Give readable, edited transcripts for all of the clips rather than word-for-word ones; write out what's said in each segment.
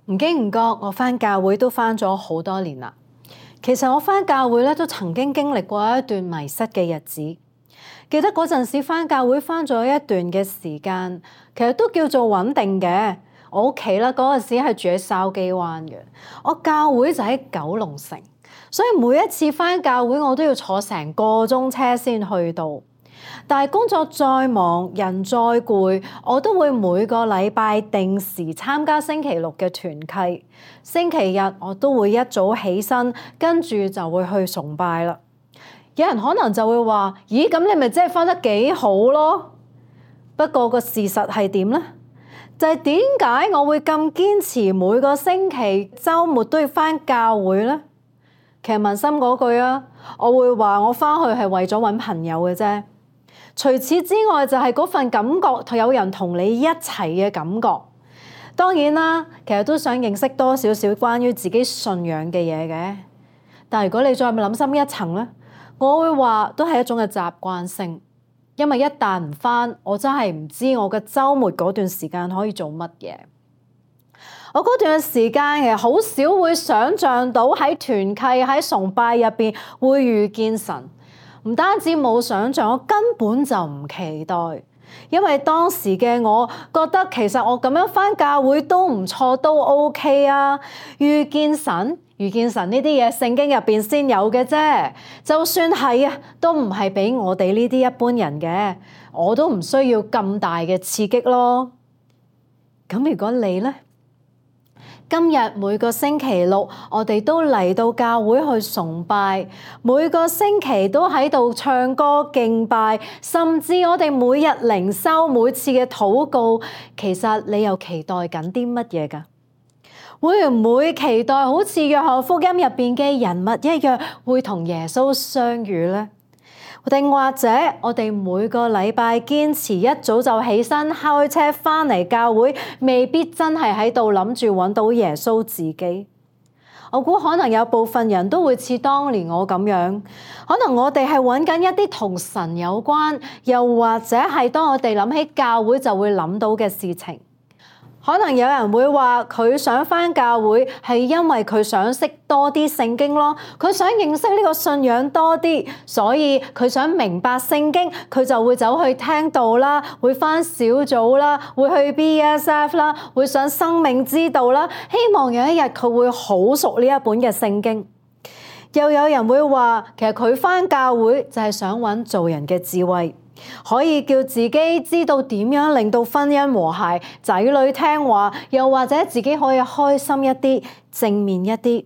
唔經唔覺，我返教會都返咗好多年啦。其實我返教會咧都曾經經歷過一段迷失嘅日子。記得嗰陣時返教會返咗一段嘅時間，其實都叫做穩定嘅。我屋企啦嗰陣時係住喺筲箕灣嘅，我教會就喺九龍城，所以每一次返教會我都要坐成個鐘車先去到。但係工作再忙，人再攰，我都會每個禮拜定時參加星期六嘅團契。星期日我都會一早起身，跟住就會去崇拜啦。有人可能就會話：咦，咁你咪真係返得幾好咯？不過個事實係點呢？就係點解我會咁堅持每個星期週末都要返教會呢？其實問心嗰句啊，我會話我返去係為咗揾朋友嘅啫。除此之外，就係嗰份感覺，有人同你一齊嘅感覺。當然啦，其實都想認識多少少關於自己信仰嘅嘢嘅。但係如果你再諗深一層咧，我會話都係一種嘅習慣性。因為一旦唔返，我真係唔知我嘅週末嗰段時間可以做乜嘢。我嗰段時間其實好少會想像到喺團契喺崇拜入邊會遇見神。唔單止冇想像，我根本就唔期待，因為當時嘅我覺得其實我咁樣返教會都唔錯，都 OK 啊。遇見神呢啲嘢聖經入邊先有嘅啫，就算係啊，都唔係俾我哋呢啲一般人嘅，我都唔需要咁大嘅刺激咯。咁如果你呢？今日每個星期六，我哋都嚟到教會去崇拜，每個星期都喺度唱歌敬拜，甚至我哋每日靈修，每次嘅禱告，其實你又期待緊啲乜嘢㗎？會唔會期待好似約翰福音入邊嘅人物一樣，會同耶穌相遇呢？定或者我哋每個禮拜堅持一早就起身開車返嚟教會，未必真係喺度諗住揾到耶穌自己。我估可能有部分人都會似當年我咁樣，可能我哋係揾緊一啲同神有關，又或者係當我哋諗起教會就會諗到嘅事情。可能有人會話佢想返教會係因為佢想識多啲聖經咯，佢想認識呢個信仰多啲，所以佢想明白聖經，佢就會走去聽道啦，會返小組啦，會去 BSF 啦，會上生命之道啦，希望有一日佢會好熟呢一本嘅聖經。又有人會話其實佢返教會就係想揾做人嘅智慧，可以叫自己知道點樣令到婚姻和諧，仔女聽話，又或者自己可以開心一啲，正面一啲。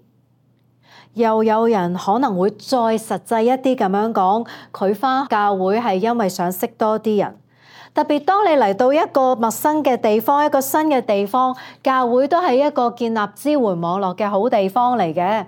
又有人可能會再實際一啲咁樣講，佢返教會係因為想識多啲人。特別當你嚟到一個陌生嘅地方，一個新嘅地方，教會都係一個建立支援網絡嘅好地方嚟嘅。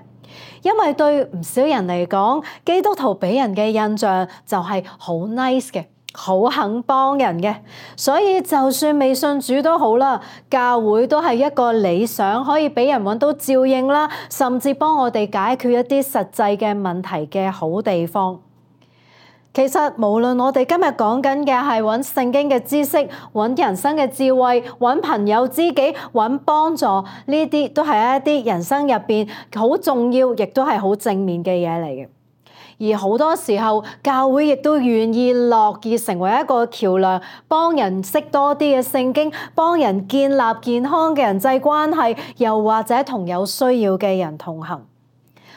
因為對唔少人嚟講，基督徒俾人嘅印象就係好 nice 嘅，好肯幫人嘅，所以就算未信主都好啦，教會都係一個理想，可以俾人揾到照應啦，甚至幫我哋解決一啲實際嘅問題嘅好地方。其實無論我哋今日講緊嘅係揾聖經嘅知識、揾人生嘅智慧、揾朋友知己、揾幫助，呢啲都係一啲人生入邊好重要，亦都係好正面嘅嘢嚟嘅。而好多時候，教會亦都願意樂意成為一個橋梁，幫人識多啲嘅聖經，幫人建立健康嘅人際關係，又或者同有需要嘅人同行。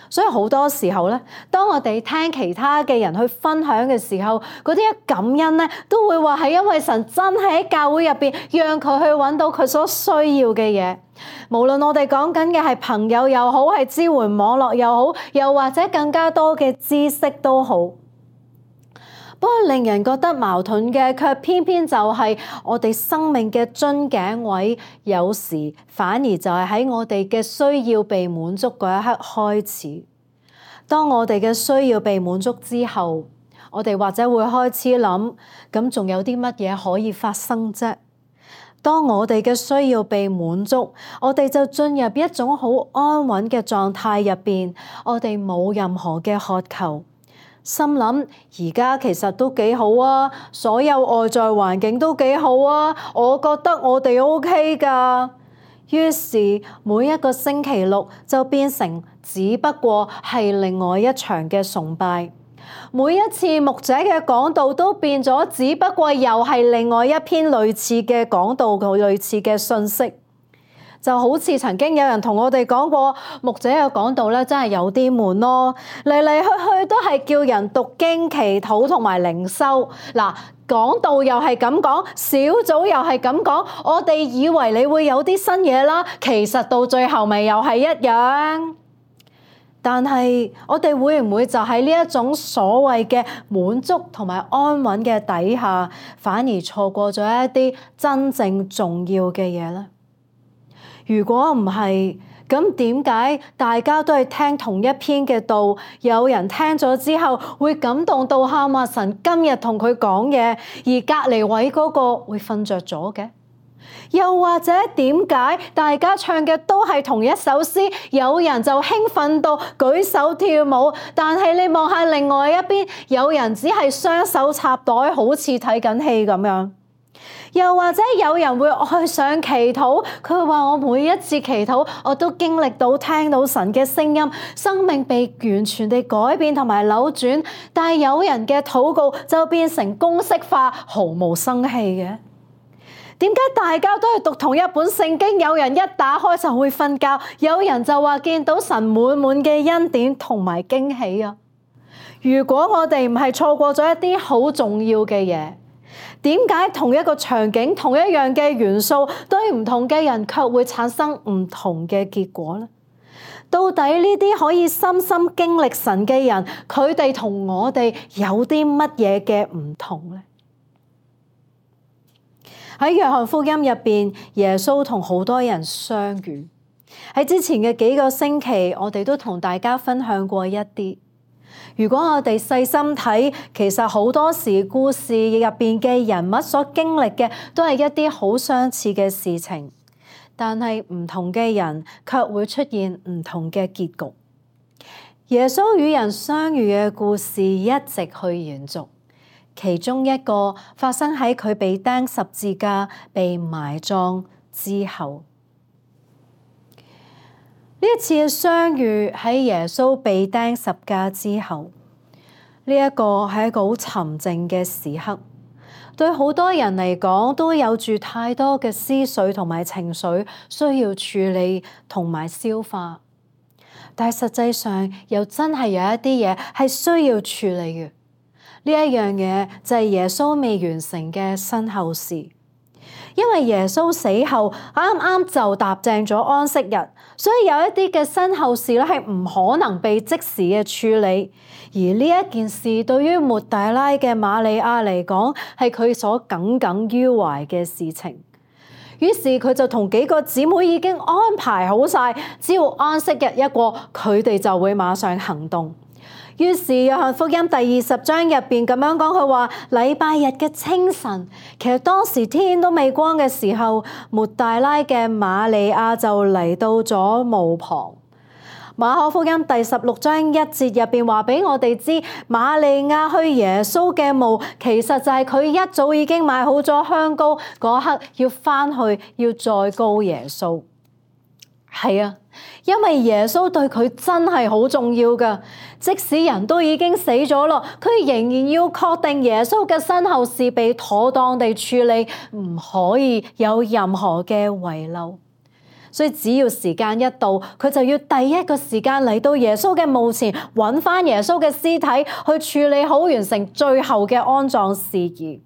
所以好多時候咧，當我哋聽其他嘅人去分享嘅時候，嗰啲一感恩咧，都會話係因為神真係喺教會入邊，讓佢去揾到佢所需要嘅嘢。無論我哋講緊嘅係朋友又好，係支援網絡又好，又或者更加多嘅知識都好。不過令人覺得矛盾嘅，卻偏偏就係我哋生命嘅樽頸位，有時反而就係喺我哋嘅需要被滿足嗰一刻開始。當我哋嘅需要被滿足之後，我哋或者會開始諗，咁仲有啲乜嘢可以發生啫？當我哋嘅需要被滿足，我哋就進入一種好安穩嘅狀態入邊，我哋冇任何嘅渴求。心諗而家其實都幾好啊，所有外在環境都幾好啊，我覺得我哋 OK 㗎。於是每一個星期六就變成只不過係另外一場嘅崇拜，每一次牧者嘅講道都變咗，只不過又係另外一篇類似嘅講道，類似嘅信息。就好似曾經有人同我哋講過，牧者嘅講道咧真係有啲悶咯，嚟嚟去去都係叫人讀經、祈禱同埋靈修。嗱，講道又係咁講，小組又係咁講，我哋以為你會有啲新嘢啦，其實到最後咪又係一樣。但係我哋會唔會就喺呢一種所謂嘅滿足同埋安穩嘅底下，反而錯過咗一啲真正重要嘅嘢呢？如果唔係，咁點解大家都係聽同一篇嘅道，有人聽咗之後會感動到喊話神今日同佢講嘢，而隔離位嗰個會瞓着咗嘅？又或者點解大家唱嘅都係同一首詩，有人就興奮到舉手跳舞，但係你望下另外一邊，有人只係雙手插袋，好似睇緊戲咁樣？又或者有人會愛上祈禱，佢話我每一次祈禱，我都經歷到聽到神嘅聲音，生命被完全地改變同埋扭轉。但係有人嘅禱告就變成公式化，毫無生氣嘅。點解大家都係讀同一本聖經，有人一打開就會瞓覺，有人就話見到神滿滿嘅恩典同埋驚喜啊？如果我哋唔係錯過咗一啲好重要嘅嘢，點解同一個場景、同一樣嘅元素，對唔同嘅人卻會產生唔同嘅結果呢？到底呢啲可以深深經歷神嘅人，佢哋同我哋有啲乜嘢嘅唔同呢？喺約翰福音入邊，耶穌同好多人相遇。喺之前嘅幾個星期，我哋都同大家分享過一啲。如果我哋細心睇，其實好多時故事入邊嘅人物所經歷嘅都係一啲好相似嘅事情，但係唔同嘅人卻會出現唔同嘅結局。耶穌與人相遇嘅故事一直去延續，其中一個發生喺佢被釘十字架、被埋葬之後。呢一次嘅相遇喺耶穌被釘十架之後，呢一個係一個好沉靜嘅時刻，對好多人嚟講都有住太多嘅思緒同埋情緒需要處理同埋消化，但係實際上又真係有一啲嘢係需要處理嘅。呢一樣嘢就係耶穌未完成嘅身後事。因為耶穌死後啱啱就踏正咗安息日，所以有一啲嘅身後事咧係唔可能被即時嘅處理。而呢一件事對於抹大拉嘅瑪利亞嚟講，係佢所耿耿於懷嘅事情。於是佢就同幾個姊妹已經安排好晒，只要安息日一過，佢哋就會馬上行動。於是約翰福音第20章入邊咁樣講，佢話禮拜日嘅清晨，其實當時天都未光嘅時候，抹大拉嘅瑪利亞就嚟到咗墓旁。馬可福音第16章1節入邊話俾我哋知，瑪利亞去耶穌嘅墓，其實就係佢一早已經買好咗香膏，嗰刻要翻去要再膏耶穌。係啊，因為耶穌對佢真係好重要㗎，即使人都已經死咗咯，佢仍然要確定耶穌嘅身後事被妥當地處理，唔可以有任何嘅遺漏。所以只要時間一到，佢就要第一個時間嚟到耶穌嘅墓前，揾翻耶穌嘅屍體，去處理好，完成最後嘅安葬事宜。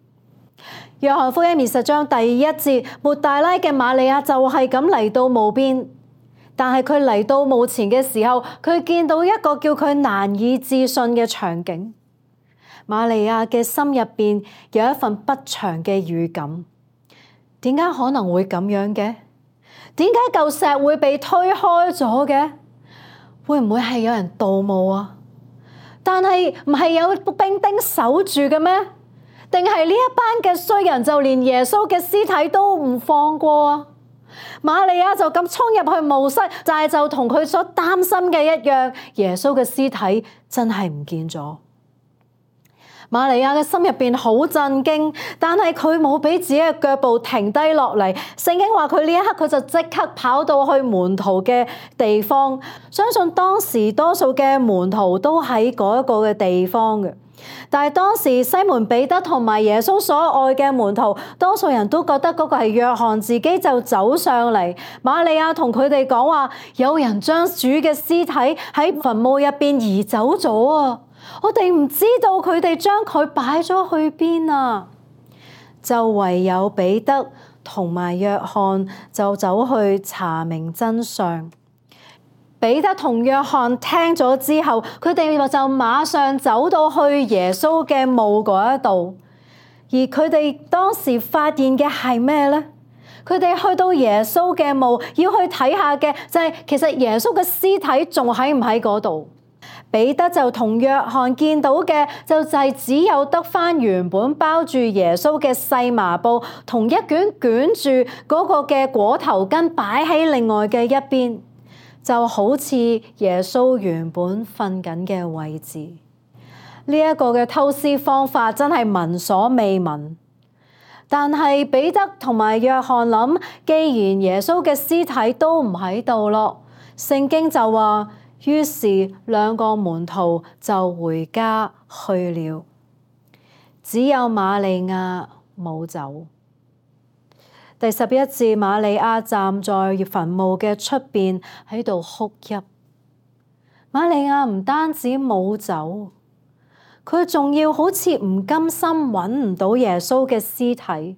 約翰福音20章第1節，抹大拉嘅瑪利亞就係咁嚟到墓邊。但係佢嚟到墓前嘅時候，佢見到一個叫佢難以置信嘅場景。瑪利亞嘅心入邊有一份不祥嘅預感。點解可能會咁樣嘅？點解舊石會被推開咗嘅？會唔會係有人盜墓啊？但係唔係有兵丁守住嘅咩？定係呢一班嘅衰人就連耶穌嘅屍體都唔放過啊？瑪利亞就咁衝入去墓室，就同佢所擔心嘅一樣，耶穌嘅屍體真係唔見咗。瑪利亞嘅心入邊好震驚，但係佢冇俾自己嘅腳步停低落嚟。聖經話佢呢一刻佢就即刻跑到去門徒嘅地方，相信當時多數嘅門徒都喺嗰一個嘅地方嘅。但係當時西門彼得同埋耶穌所愛嘅門徒，多數人都覺得嗰個係約翰，自己就走上嚟。瑪利亞同佢哋講話，有人將主嘅屍體喺墳墓入邊移走咗啊！我哋唔知道佢哋將佢擺咗去邊啊！就唯有彼得同埋約翰就走去查明真相。彼得同約翰聽咗之後，佢哋就馬上走到去耶穌嘅墓嗰一度。而佢哋當時發現嘅係咩呢？佢哋去到耶穌嘅墓，要去睇下嘅就係其實耶穌嘅屍體仲喺唔喺嗰度。彼得就同約翰見到嘅就係只有得返原本包住耶穌嘅細麻布，同一卷捲住嗰個嘅裹頭巾擺喺另外嘅一邊。就好似耶穌原本瞓緊嘅位置，呢一個嘅偷屍方法真係聞所未聞。但係彼得同埋約翰諗，既然耶穌嘅屍體都唔喺度咯，聖經就話，於是兩個門徒就回家去了，只有瑪利亞冇走。第11節，瑪利亞站在墳墓嘅出邊喺度哭泣。瑪利亞唔單止冇走，佢仲要好似唔甘心揾唔到耶穌嘅屍體，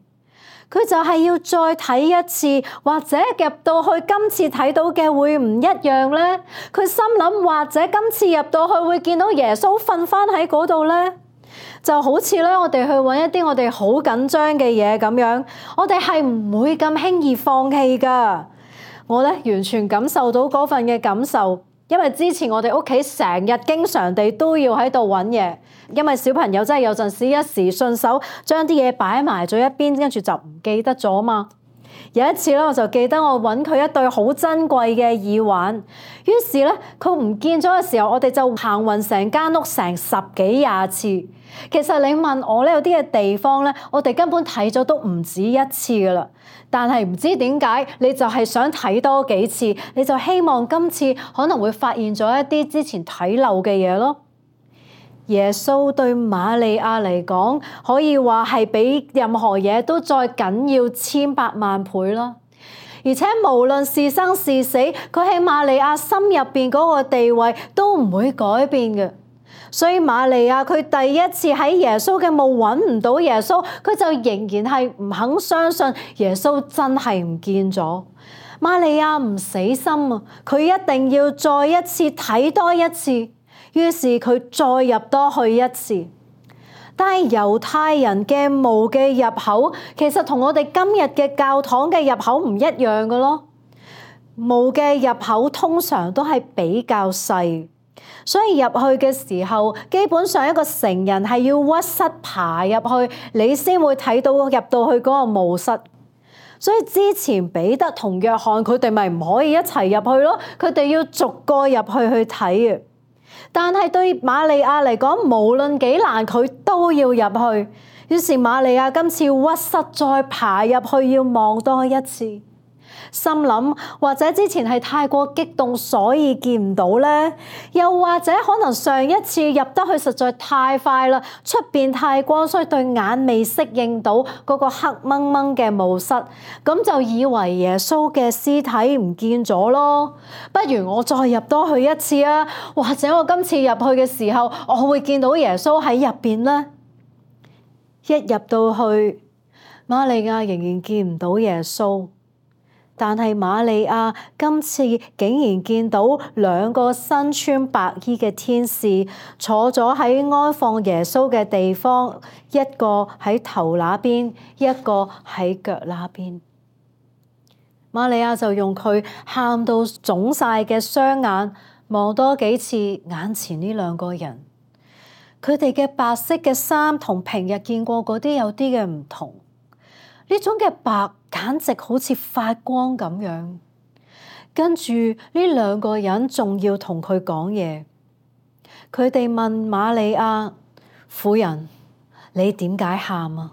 佢就係要再睇一次，或者入到去今次睇到嘅會唔一樣呢？佢心諗，或者今次入到去會見到耶穌瞓返喺嗰度呢？就好似咧，我哋去揾一啲我哋好緊張嘅嘢咁樣，我哋係唔會咁輕易放棄㗎。我咧完全感受到嗰份嘅感受，因為之前我哋屋企成日經常地都要喺度揾嘢，因為小朋友真係有陣時一時順手將啲嘢擺埋咗一邊，跟住就唔記得咗嘛。有一次咧，我就記得我揾佢一對好珍貴嘅耳環，於是咧佢唔見咗嘅時候，我哋就行勻成間屋成10幾20次。其實你問我咧，有啲嘅地方咧，我哋根本睇咗都唔止一次噶啦。但係唔知點解，你就係想睇多幾次，你就希望今次可能會發現咗一啲之前睇漏嘅嘢咯。耶穌對瑪利亞嚟講，可以話係比任何嘢都再緊要千百萬倍啦。而且無論是生是死，佢喺瑪利亞心入邊嗰個地位都唔會改變嘅。所以瑪利亞佢第一次喺耶穌嘅墓揾唔到耶穌，佢就仍然係唔肯相信耶穌真係唔見咗。瑪利亞唔死心啊，佢一定要再一次睇多一次。於是佢再入多去一次。但係猶太人嘅墓嘅入口其實同我哋今日嘅教堂嘅入口唔一樣嘅咯。墓嘅入口通常都係比較細，所以入去嘅時候，基本上一個成人係要屈膝爬入去，你先會睇到入到去嗰個墓室。所以之前彼得同約翰佢哋咪唔可以一齊入去咯，佢哋要逐個入去睇嘅。但係對瑪利亞嚟講，無論幾難，佢都要入去。於是瑪利亞今次屈膝再爬入去，要望多一次。心諗或者之前係太過激動，所以見唔到呢？又或者可能上一次入得去實在太快啦，出邊太光，所以對眼未適應到嗰個黑掹掹嘅墓室，咁就以為耶穌嘅屍體唔見咗咯。不如我再入多去一次啊，或者我今次入去嘅時候，我會見到耶穌喺入邊呢。一入到去，瑪利亞仍然見唔到耶穌。但係瑪利亞今次竟然見到2個身穿白衣嘅天使坐咗喺安放耶穌嘅地方，一個喺頭那邊，一個喺腳那邊。瑪利亞就用佢喊到腫晒嘅雙眼望多幾次眼前呢2個人，佢哋嘅白色嘅衫同平日見過嗰啲有啲嘅唔同。呢種嘅白簡直好似發光咁樣，跟住呢2個人仲要同佢講嘢。佢哋問瑪利亞：婦人，你點解喊啊？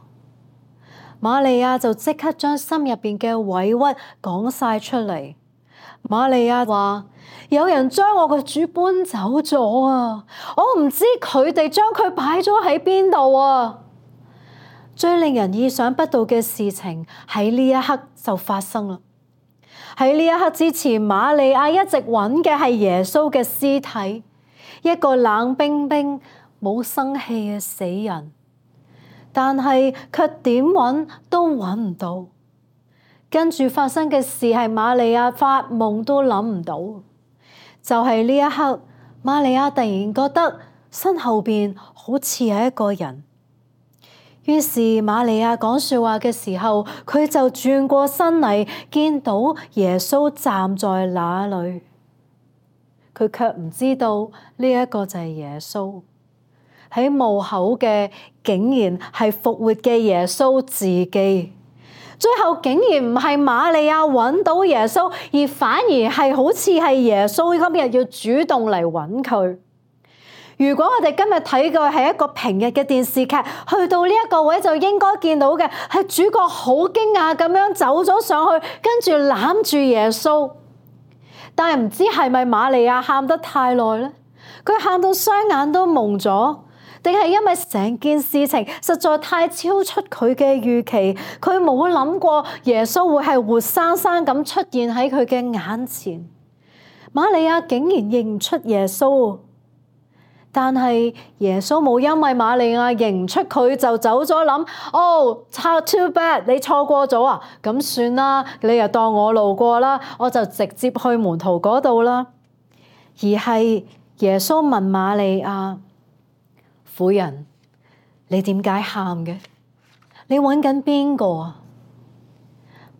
瑪利亞就即刻將心入邊嘅委屈講晒出嚟。瑪利亞話：有人將我個主搬走咗啊！我唔知佢哋將佢擺咗喺邊度啊！最令人意想不到嘅事情喺呢一刻就發生啦。喺呢一刻之前，瑪利亞一直揾嘅係耶穌嘅屍體，一個冷冰冰冇生氣嘅死人，但係卻點揾都揾唔到。跟住發生嘅事係瑪利亞發夢都諗唔到，就係呢一刻，瑪利亞突然覺得身後邊好似係一個人。於是瑪利亞講說話嘅時候，佢就轉過身嚟，見到耶穌站在那裏。佢卻唔知道呢一個就係耶穌。喺墓口嘅竟然係復活嘅耶穌自己。最後竟然唔係瑪利亞揾到耶穌，而反而係好似係耶穌今日要主動嚟揾佢。如果我哋今日睇嘅係一個平日嘅電視劇，去到呢一個位就應該見到嘅係主角好驚訝咁樣走咗上去，跟住攬住耶穌。但係唔知係咪瑪利亞喊得太耐呢？佢喊到雙眼都矇咗，定係因為成件事情實在太超出佢嘅預期，佢冇諗過耶穌會係活生生咁出現喺佢嘅眼前。瑪利亞竟然認唔出耶穌。但係耶穌冇因為瑪利亞認唔出佢就走咗諗，哦，too bad， 你錯過咗啊，咁算啦，你又當我路過啦，我就直接去門徒嗰度啦。而係耶穌問瑪利亞：婦人，你點解喊嘅？你揾緊邊個啊？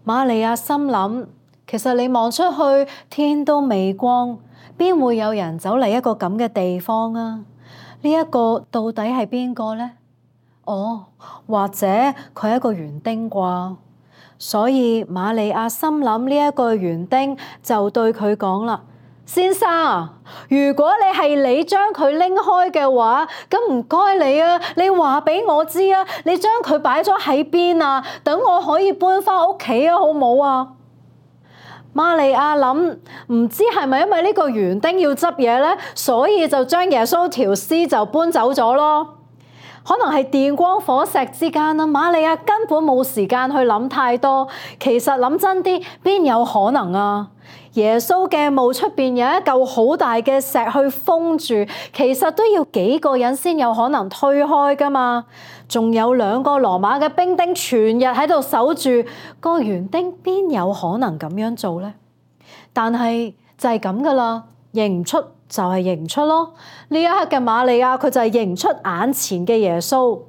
瑪利亞心諗，其實你望出去，天都未光，邊會有人走嚟一個咁嘅地方啊？呢一個到底係邊個呢？哦，或者佢係一個園丁啩？所以瑪利亞心諗呢一個園丁就對佢講啦：先生啊，如果你將佢拎開嘅話，咁唔該你啊，你話俾我知啊，你將佢擺咗喺邊啊？等我可以搬翻屋企啊，好唔好啊？瑪利亞諗，唔知係咪因為呢個園丁要執嘢呢，所以就將耶穌條屍就搬走咗咯。可能係電光火石之間啊，瑪利亞根本冇時間去諗太多。其實諗真啲，邊有可能啊？耶穌嘅墓出邊有一嚿好大嘅石去封住，其實都要幾個人先有可能推開噶嘛。仲有2個羅馬嘅兵丁全日喺度守住，個園丁邊有可能咁樣做呢？但係就係咁噶啦，認唔出就係認唔出咯。呢一刻嘅瑪利亞，佢就係認唔出眼前嘅耶穌。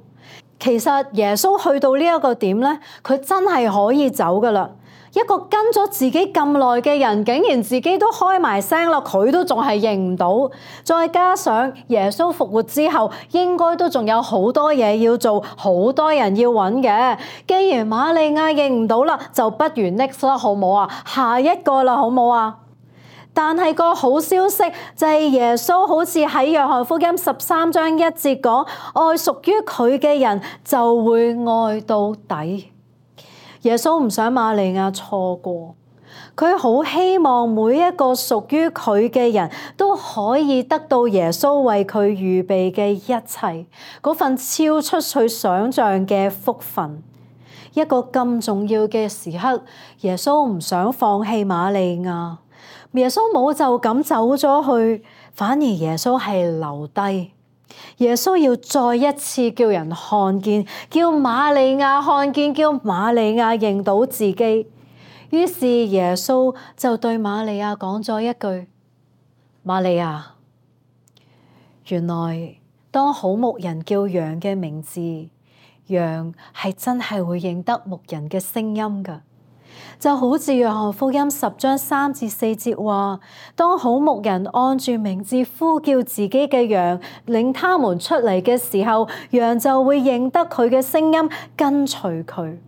其實耶穌去到呢一個點呢，佢真係可以走噶啦。一個跟咗自己咁耐嘅人，竟然自己都開埋聲啦，佢都仲係認唔到。再加上耶穌復活之後，應該都仲有好多嘢要做，好多人要揾嘅。既然瑪利亞認唔到啦，就不如 next 啦，好冇啊？下一個啦，好冇啊？但係個好消息就係耶穌好似喺約翰福音13章1節講，愛屬於佢嘅人就會愛到底。耶穌唔想瑪利亞錯過，佢好希望每一個屬於佢嘅人都可以得到耶穌為佢預備嘅一切，嗰份超出佢想象嘅福分。一個咁重要嘅時刻，耶穌唔想放棄瑪利亞。耶穌冇就咁走咗去，反而耶穌係留低。耶穌要再一次叫人看見，叫瑪利亞看見，叫瑪利亞認到自己。於是耶穌就對瑪利亞講咗一句：瑪利亞，原來當好牧人叫羊嘅名字，羊係真係會認得牧人嘅聲音㗎。就好似約翰福音10章3至4節話，當好牧人按住名字呼叫自己嘅羊，領他們出嚟嘅時候，羊就會認得佢嘅聲音，跟隨佢。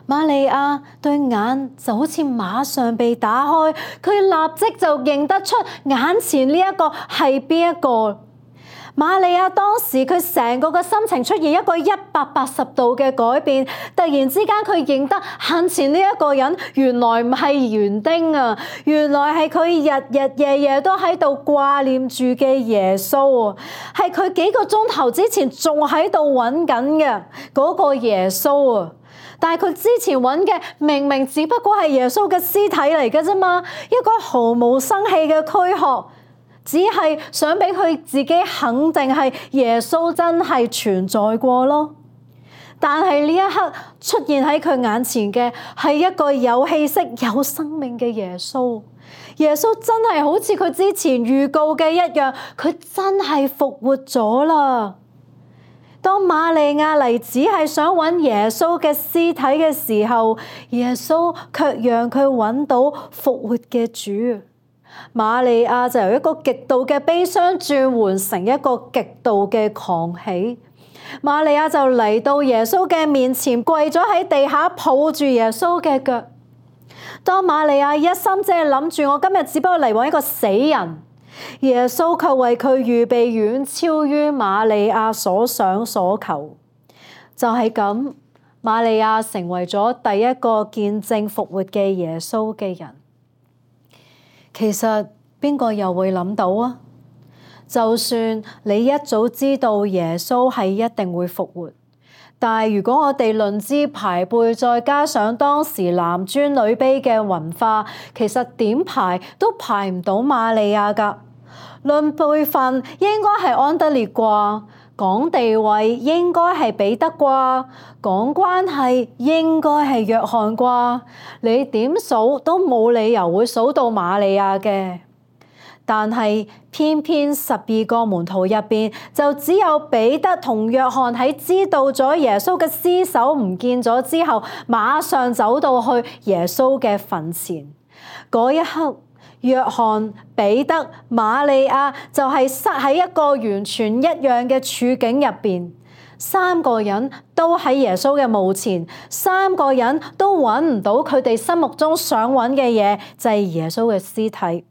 瑪利亞對眼就好似馬上被打開，佢立即就認得出眼前呢一個係邊一個。瑪利亞當時佢成個嘅心情出現一個180度嘅改變，突然之間佢認得眼前呢一個人原來唔係園丁啊，原來係佢日日夜夜都喺度掛念住嘅耶穌啊，係佢幾個鐘頭之前仲喺度揾緊嘅嗰個耶穌啊。但係佢之前揾嘅明明只不過係耶穌嘅屍體嚟嘅啫嘛，一個毫無生氣嘅軀殼，只係想俾佢自己肯定係耶穌真係存在過咯。但係呢一刻出現喺佢眼前嘅係一個有氣息、有生命嘅耶穌。耶穌真係好似佢之前預告嘅一樣，佢真係復活咗啦。當瑪利亞嚟只係想揾耶穌嘅屍體嘅時候，耶穌卻讓佢揾到復活嘅主。瑪利亞就由一個極度嘅悲傷轉換成一個極度嘅狂喜。瑪利亞就嚟到耶穌嘅面前，跪咗喺地下，抱住耶穌嘅腳。當瑪利亞一心只係諗住我今日只不過嚟揾一個死人，耶穌卻為佢預備遠超於瑪利亞所想所求。就係咁，瑪利亞成為咗第一個見證復活嘅耶穌嘅人。其實邊個又會諗到啊？就算你一早知道耶穌係一定會復活，但係如果我哋論資排輩，再加上當時男尊女卑嘅文化，其實點排都排唔到瑪利亞㗎。論輩份應該係安德烈啩，講地位應該係彼得啩，講關係應該係約翰啩，你點數都冇理由會數到瑪利亞嘅。但係偏偏12個門徒入邊，就只有彼得同約翰喺知道咗耶穌嘅屍首唔見咗之後，馬上走到去耶穌嘅墳前。嗰一刻，約翰、彼得、瑪利亞就係塞喺一個完全一樣嘅處境入邊。三個人都喺耶穌嘅墓前，三個人都揾唔到佢哋心目中想揾嘅嘢，就係耶穌嘅屍體。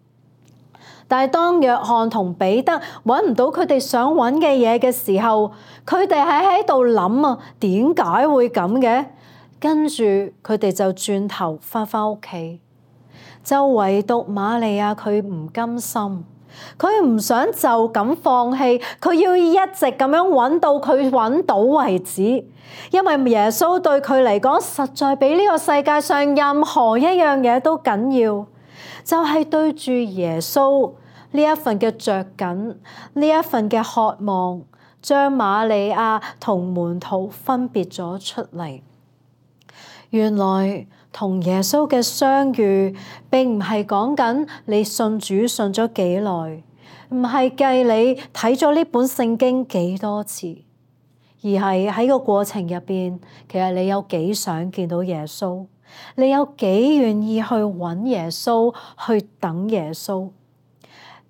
但係當約翰同彼得揾唔到佢哋想揾嘅嘢嘅時候，佢哋喺度諗啊，點解會咁嘅？跟住佢哋就轉頭返屋企。就唯獨瑪利亞佢唔甘心，佢唔想就咁放棄，佢要一直咁樣揾到佢揾到為止。因為耶穌對佢嚟講，實在比呢個世界上任何一樣嘢都緊要。就係對住耶穌呢一份嘅着緊，呢一份嘅渴望，將瑪利亞同門徒分別咗出嚟。原來同耶穌嘅相遇，並唔係講緊你信主信咗幾耐，唔係計你睇咗呢本聖經幾多次，而係喺個過程入邊，其實你有幾想見到耶穌。你有幾願意去揾耶穌，去等耶穌？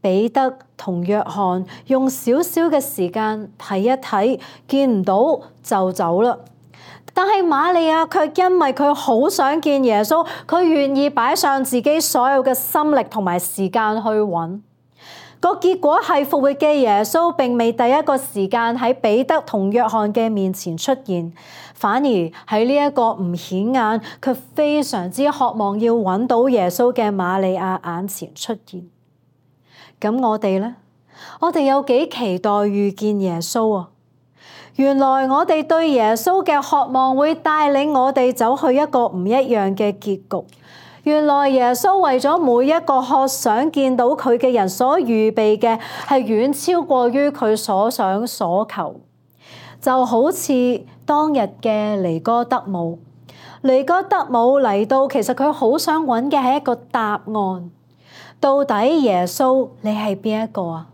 彼得同約翰用少少嘅時間睇一睇，見唔到就走啦。但係瑪利亞卻因為佢好想見耶穌，佢願意擺上自己所有嘅心力同埋時間去揾。個結果係復活嘅耶穌並未第一個時間喺彼得同約翰嘅面前出現，反而喺呢一個唔顯眼卻非常之渴望要揾到耶穌嘅瑪利亞眼前出現。咁我哋呢？我哋有幾期待遇見耶穌啊？原來我哋對耶穌嘅渴望會帶領我哋走去一個唔一樣嘅結局。原來耶穌為咗每一個渴想見到佢嘅人所預備嘅，係遠超過於佢所想所求。就好似當日嘅尼哥德姆，尼哥德姆嚟到，其實佢好想揾嘅係一個答案。到底耶穌你係邊一個啊？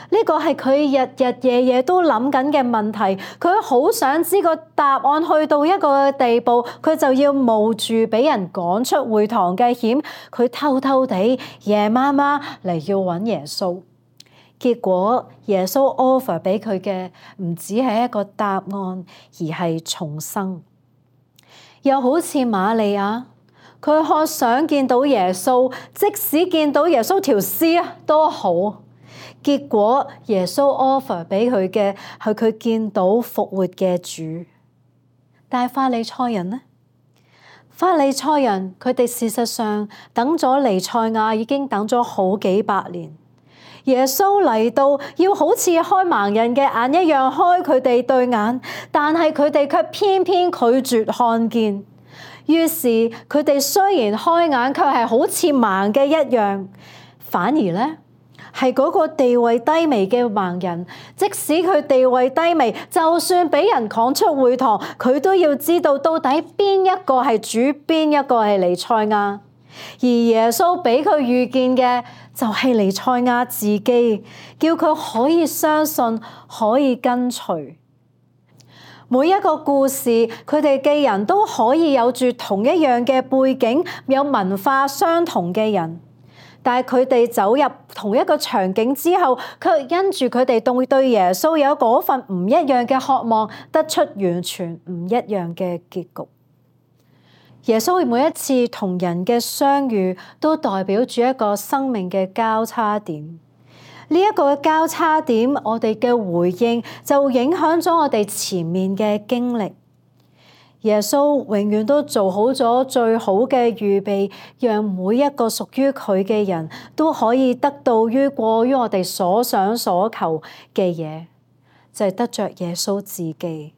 呢個係佢日日夜夜都諗緊嘅問題，佢好想知個答案，去到一個地步，佢就要冒住俾人趕出會堂嘅險，佢偷偷地夜媽媽嚟要揾耶穌。結果耶穌 offer 俾佢嘅唔只係一個答案，而係重生。又好似瑪利亞，佢渴想見到耶穌，即使見到耶穌條屍都好。結果耶穌 offer 俾佢嘅係佢見到復活嘅主。但係法利賽人呢？法利賽人佢哋事實上等咗彌賽亞已經等咗好幾百年。耶穌嚟到要好似開盲人嘅眼一樣開佢哋對眼，但係佢哋卻偏偏拒絕看見。於是佢哋雖然開眼，卻係好似盲嘅一樣。反而呢，係嗰個地位低微嘅盲人，即使佢地位低微，就算俾人趕出會堂，佢都要知道到底邊一個係主，邊一個係彌賽亞。而耶穌俾佢遇見嘅就係彌賽亞自己，叫佢可以相信，可以跟隨。每一個故事，佢哋嘅人都可以有住同一樣嘅背景，有文化相同嘅人。但係佢哋走入同一個場景之後，卻因住佢哋對耶穌有嗰份唔一樣嘅渴望，得出完全唔一樣嘅結局。耶穌每一次同人嘅相遇，都代表住一個生命嘅交叉點。呢一個交叉點，我哋嘅回應就影響咗我哋前面嘅經歷。耶穌永遠都做好咗最好嘅預備，讓每一個屬於佢嘅人都可以得到過於我哋所想所求嘅嘢，就係得着耶穌自己。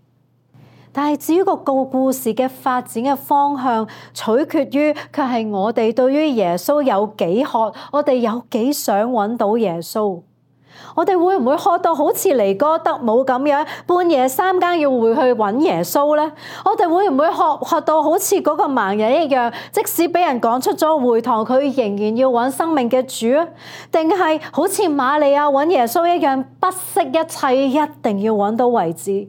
但係至於個故事嘅發展嘅方向，取決於卻係我哋對於耶穌有幾渴，我哋有幾想揾到耶穌。我哋會唔會渴到好似尼哥德姆咁樣，半夜3更要回去揾耶穌呢？我哋會唔會渴到好似嗰個盲人一樣，即使俾人趕出咗會堂，佢仍然要揾生命嘅主啊？定係好似瑪利亞揾耶穌一樣，不惜一切，一定要揾到為止？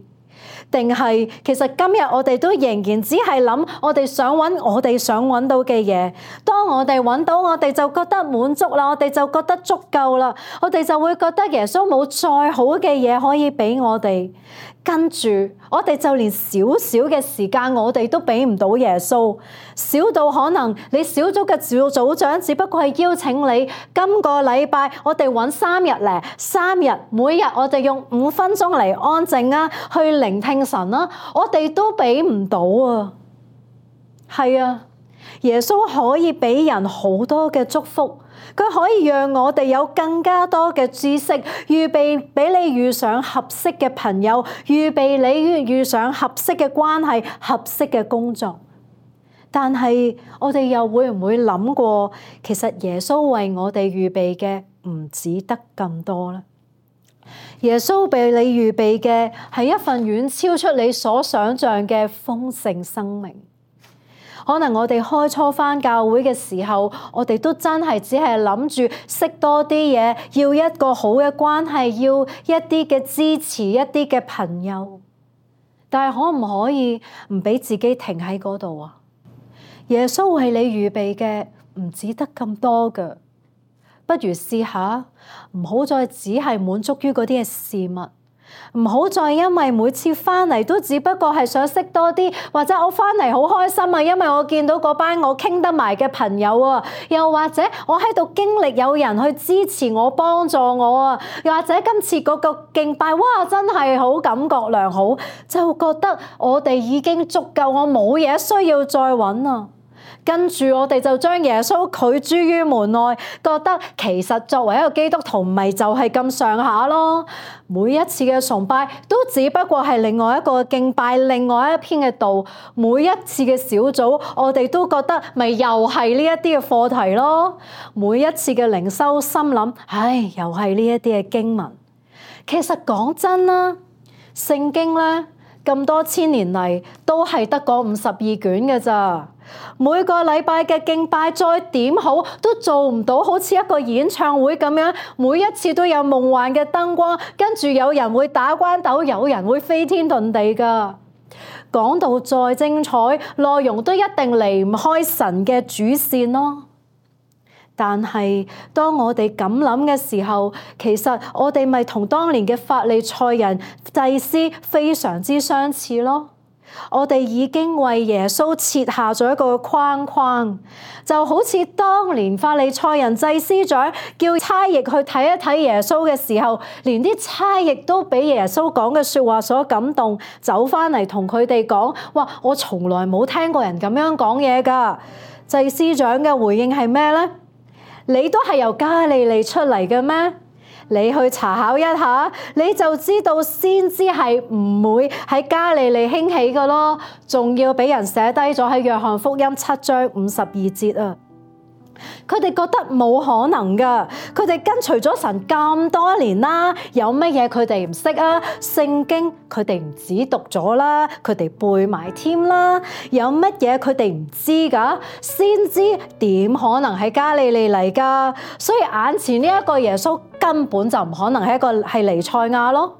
定係其實今日我哋都仍然只係諗我哋想揾到嘅嘢，當我哋揾到，我哋就覺得滿足啦，我哋就覺得足夠啦，我哋就會覺得耶穌冇再好嘅嘢可以俾我哋。跟住我哋就連少少嘅時間我哋都俾唔到耶穌，少到可能你小組嘅組長只不過係邀請你今個禮拜我哋揾3日，每日我哋用5分鐘嚟安靜啊，去聆聽神啊，我哋都俾唔到啊。係啊，耶穌可以俾人好多嘅祝福，佢可以讓我哋有更加多嘅知識，預備俾你遇上合適嘅朋友，預備你遇上合適嘅關係，合適嘅工作。但係我哋又會唔會諗過，其實耶穌為我哋預備嘅唔止得咁多呢？耶穌俾你預備嘅係一份遠超出你所想象嘅豐盛生命。可能我哋開初返教會嘅時候，我哋都真係只係諗住識多啲嘢，要一個好嘅關係，要一啲嘅支持，一啲嘅朋友。但係可唔可以唔俾自己停喺嗰度啊？耶穌為你預備嘅唔止得咁多㗎，不如試下唔好再只係滿足於嗰啲嘅事物。唔好再因為每次翻嚟都只不過係想識多啲，或者我翻嚟好開心啊，因為我見到嗰班我傾得埋嘅朋友啊，又或者我喺度經歷有人去支持我、幫助我啊，又或者今次嗰個敬拜，哇，真係好感覺良好，就覺得我哋已經足夠，我冇嘢需要再揾啊。跟住我哋就將耶穌拒諸於門外，覺得其實作為一個基督徒唔係就係咁上下咯。每一次嘅崇拜都只不過係另外一個敬拜，另外一篇嘅道。每一次嘅小組，我哋都覺得咪又係呢一啲嘅課題咯。每一次嘅靈修，心諗唉，又係呢一啲嘅經文。其實講真啦，聖經咧咁多千年嚟都係得嗰52卷嘅咋。每個禮拜嘅敬拜再點好都做唔到好似一個演唱會咁樣，每一次都有夢幻嘅燈光，跟住有人會打關鬥，有人會飛天遁地噶。講到再精彩，內容都一定離唔開神嘅主線咯。但係當我哋咁諗嘅時候，其實我哋咪同當年嘅法利賽人祭司非常之相似咯。我哋已經為耶穌設下咗一個框框，就好似當年法利賽人祭司長叫差役去睇一睇耶穌嘅時候，連啲差役都俾耶穌講嘅說話所感動，走翻嚟同佢哋講：哇，我從來冇聽過人咁樣講嘢㗎。祭司長嘅回應係咩呢？你都係由加利利出嚟嘅咩？你去查考一下，你就知道先知係唔會喺加利利興起嘅咯，仲要俾人寫低咗喺約翰福音7章52節啊！佢哋覺得冇可能噶，佢哋跟隨咗神咁多年啦，有乜嘢佢哋唔識啊？聖經佢哋唔止讀咗啦，佢哋背埋添啦，有乜嘢佢哋唔知噶？先知點可能係加利利嚟噶？所以眼前呢一個耶穌根本就唔可能係彌賽亞咯。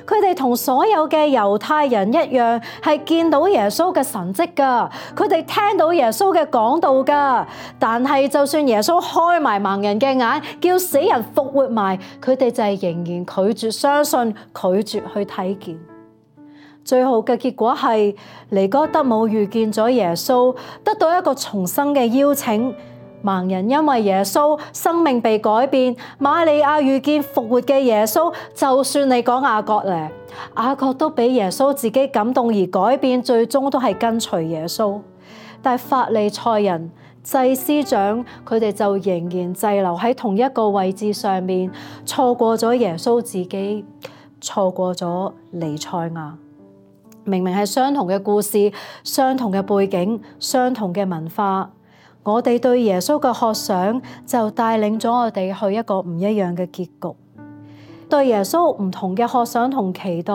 佢哋同所有嘅猶太人一樣，係見到耶穌嘅神蹟噶，佢哋聽到耶穌嘅講道噶。但係就算耶穌開埋盲人嘅眼，叫死人復活埋，佢哋就係仍然拒絕相信，拒絕去睇見。最後嘅結果係尼哥德姆遇見咗耶穌，得到一個重生嘅邀請。盲人因為耶穌生命被改變，瑪利亞遇見復活嘅耶穌，就算你講雅各咧，雅各都俾耶穌自己感動而改變，最終都係跟隨耶穌。但係法利賽人、祭司長，佢哋就仍然滯留喺同一個位置上面，錯過咗耶穌自己，錯過咗彌賽亞。明明係相同嘅故事、相同嘅背景、相同嘅文化，我哋對耶穌嘅渴想就帶領咗我哋去一個唔一樣嘅結局。對耶穌唔同嘅渴想同期待，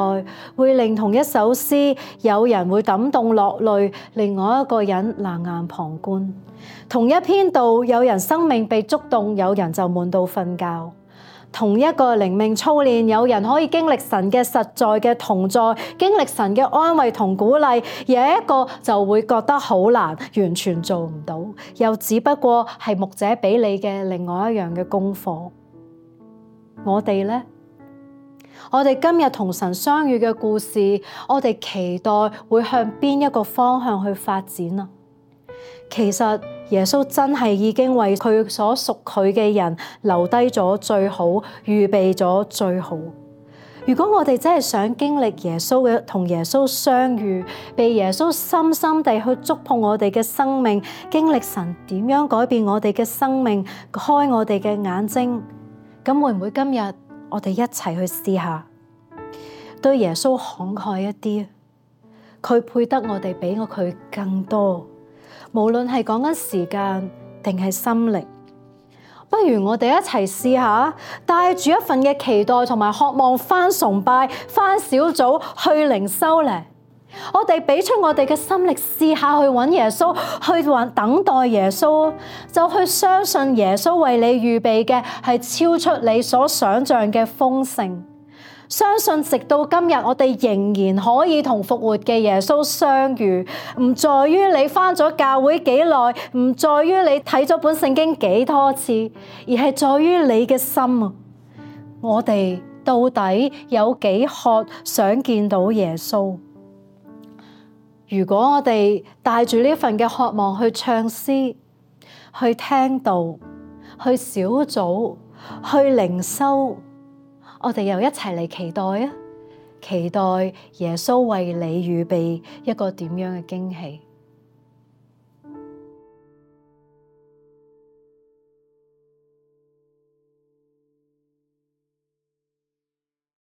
會令同一首詩有人會感動落淚，另外一個人冷眼旁觀。同一篇道，有人生命被觸動，有人就悶到瞓覺。同一個靈命操練，有人可以經歷神嘅實在嘅同在，經歷神嘅安慰同鼓勵，有一個就會覺得好難，完全做唔到，又只不過係牧者俾你嘅另外一樣嘅功課。我哋呢？我哋今日同神相遇嘅故事，我哋期待會向邊一個方向去發展啊？其實耶穌真係已經為佢所屬佢嘅人留低咗最好，預備咗最好。如果我哋真係想經歷耶穌嘅同耶穌相遇，被耶穌深深地去觸碰我哋嘅生命，經歷神點樣改變我哋嘅生命，開我哋嘅眼睛，咁會唔會今日我哋一齊去試下，對耶穌慷慨一啲？佢配得我哋比佢更多。無論係講緊時間定係心力，不如我哋一齊試下，帶住一份嘅期待同埋渴望返崇拜、返小組、去靈修咧。我哋俾出我哋嘅心力，試下去揾耶穌，去等待耶穌，就去相信耶穌為你預備嘅係超出你所想象嘅豐盛。相信直到今日，我哋仍然可以同復活嘅耶穌相遇，唔在於你返咗教會幾耐，唔在於你睇咗本聖經幾多次，而係在於你嘅心啊！我哋到底有幾渴想見到耶穌？如果我哋帶住呢份嘅渴望去唱詩、去聽道、去小組、去靈修，我哋又一齊嚟期待啊！期待耶穌為你預備一個點樣嘅驚喜。